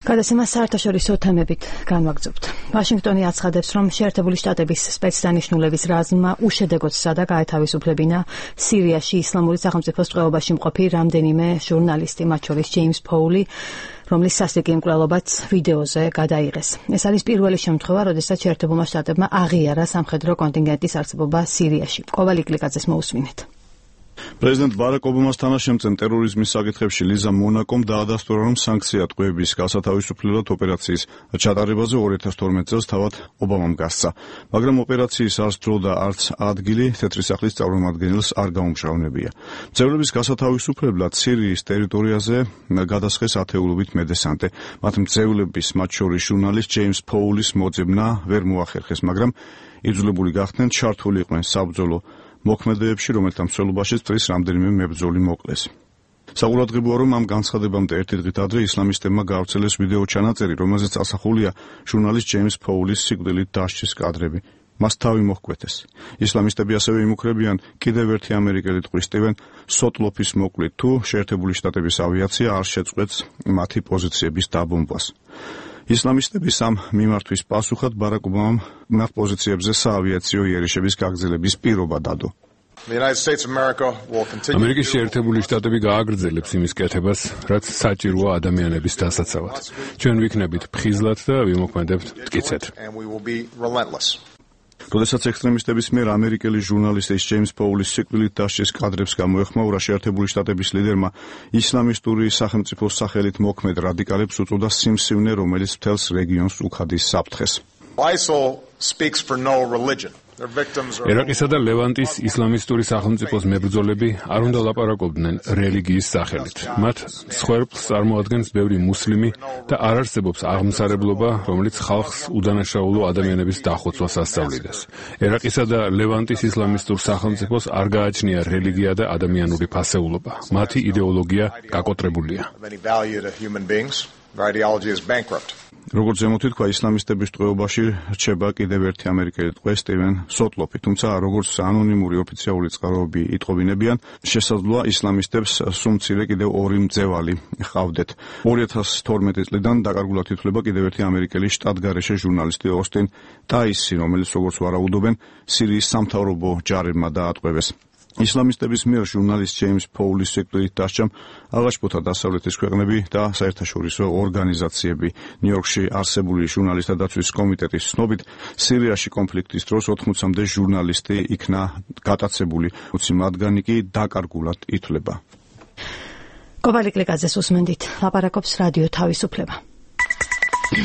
გადაცემას საერთაშორისო თემებით განვაგრძობთ. ვაშინგტონი აცხადებს, რომ შეერთებული შტატების სპეცდანიშნულების რაზმმა უშედეგოდ სცადა გაეთავისუფლებინა სირიაში ისლამური სახელმწიფოს ტყვეობაში მყოფი რამდენიმე ჟურნალისტი, მათ შორის ჯეიმს ფოული, რომლის სასტიკი მკვლელობაც ვიდეოზე გადაიღეს. ეს არის პირველი შემთხვევა, როდესაც შეერთებულმა შტატებმა აღიარა სამხედრო კონტინგენტის არსებობა სირიაში. კოვალ იკლიკაძეს მოусმინეთ. პრეზიდენტ ბარაკ ობამას თანაშემწე ტერორიზმის საკითხებში ლიზა მონაკომ დაადასტურა, რომ სანქცია ტყვეების გასათავისუფლებლად ოპერაციის ჩატარებაზე 2012 წელს თავად ობამამ გასცა, მაგრამ ოპერაციის არც დრო და არც ადგილი თეთრი სახლის წარმომადგენელს არ გაუმჟღავნებია. მძევლების გასათავისუფლებლად სირიის ტერიტორიაზე გადასხეს ათეულობით მედესანტე. მათ მძევლების, მათ შორის ჟურნალისტ ჯეიმს ფოულის მოძებნა ვერ მოახერხეს, მაგრამ იძულებული გახდნენ ჩართული იყვნენ საბრძოლო მოქმედებებში, რომელთა მსვლელობაშიც წრის რამდენიმე მებრძოლი მოკლეს. საყურადღებოა, რომ ამ განცხადებამდე ერთი დღით ადრე ისლამისტებმა გაავრცელეს ვიდეო ჩანაწერი, რომელზეც ასახულია ჟურნალისტ ჯეიმს ფოულის სიკვდილით დასჯის კადრები. მას თავი მოჰკვეთეს. ისლამისტები ასევე იმუქრებიან კიდევ ერთი ამერიკელი ტყვისტივენ სოტლოფის მოკვლით, თუ შეერთებული შტატების ავიაცია არ შეწყვეტს მათი პოზიციების დაბომბვას. ისლამისტების ამ მიმართვის პასუხად ბარაკ ობამამ მათ პოზიციებზე საავიაციო იერიშების გაგრძელების პირობა დადო. ამერიკის შეერთებული შტატები გააგრძელებს იმის კეთებას, რაც საჭიროა ადამიანების დასაცავად. ჩვენ ვიქნებით ფხიზლად და ვიმოქმედებთ მტკიცედ. როდესაც ექსტრემისტების მიერ ამერიკელი ჟურნალისტის ჯეიმს ფოულის სიკვდილით დასჯის კადრებს გამოეხმაურა, შეერთებული შტატების ლიდერმა ისლამისტური სახელმწიფოს სახელით მოქმედ რადიკალებს უწოდა სიმსივნე, რომელიც მთელს რეგიონს უხადის საფრთხეს. ერაყისა და ლევანტის ისლამისტური სახელმწიფოს მებრძოლები არ უნდა ლაპარაკობდნენ რელიგიის სახელით. მათ მსხვერპლს წარმოადგენს ბევრი მუსლიმი და არ არსებობს აღმსარებლობა, რომელიც ხალხს უდანაშაულო ადამიანების დახოცვას ასწავლიდეს. ერაყისა და ლევანტის ისლამისტურ სახელმწიფოს არ გააჩნია რელიგია და ადამიანური ფასეულობა. მათი იდეოლოგია გაკოტრებულია. როგორც ზემოთი თქვა, ისლამისტების ტყვეობაში რჩება კიდევ ერთი ამერიკელი ტყვე სტივენ სოტლოფი, თუმცა როგორც ანონიმური ოფიციალური წყაროები იტყობინებიან, შესაძლოა ისლამისტებს სულ მცირე კიდევ ორი მძევალი ჰყავდეთ. 2012 წლიდან დაკარგულად ითვლება კიდევ ერთი ამერიკელი შტატგარეშე ჟურნალისტი ოსტინ ტაისი, რომელიც როგორც ვარაუდობენ, სირიის სამთავრობო ჯარებმა დაატყვევეს. ისლამისტების მიერ ჟურნალისტ ჯეიმს ფოულის სიკვდილით დასჯამ აღაშფოთა დასავლეთის ქვეყნები და საერთაშორისო ორგანიზაციები. ნიუ-იორკში არსებული ჟურნალისტთა დაცვის კომიტეტის ცნობით, სირიაში კონფლიქტის დროს 80-მდე ჟურნალისტი იქნა გატაცებული, 20 მათგანი კი დაკარგულად ითვლება. კოვალ იკლიკაძეს უსმენდით, ლაპარაკობს რადიო თავისუფლება.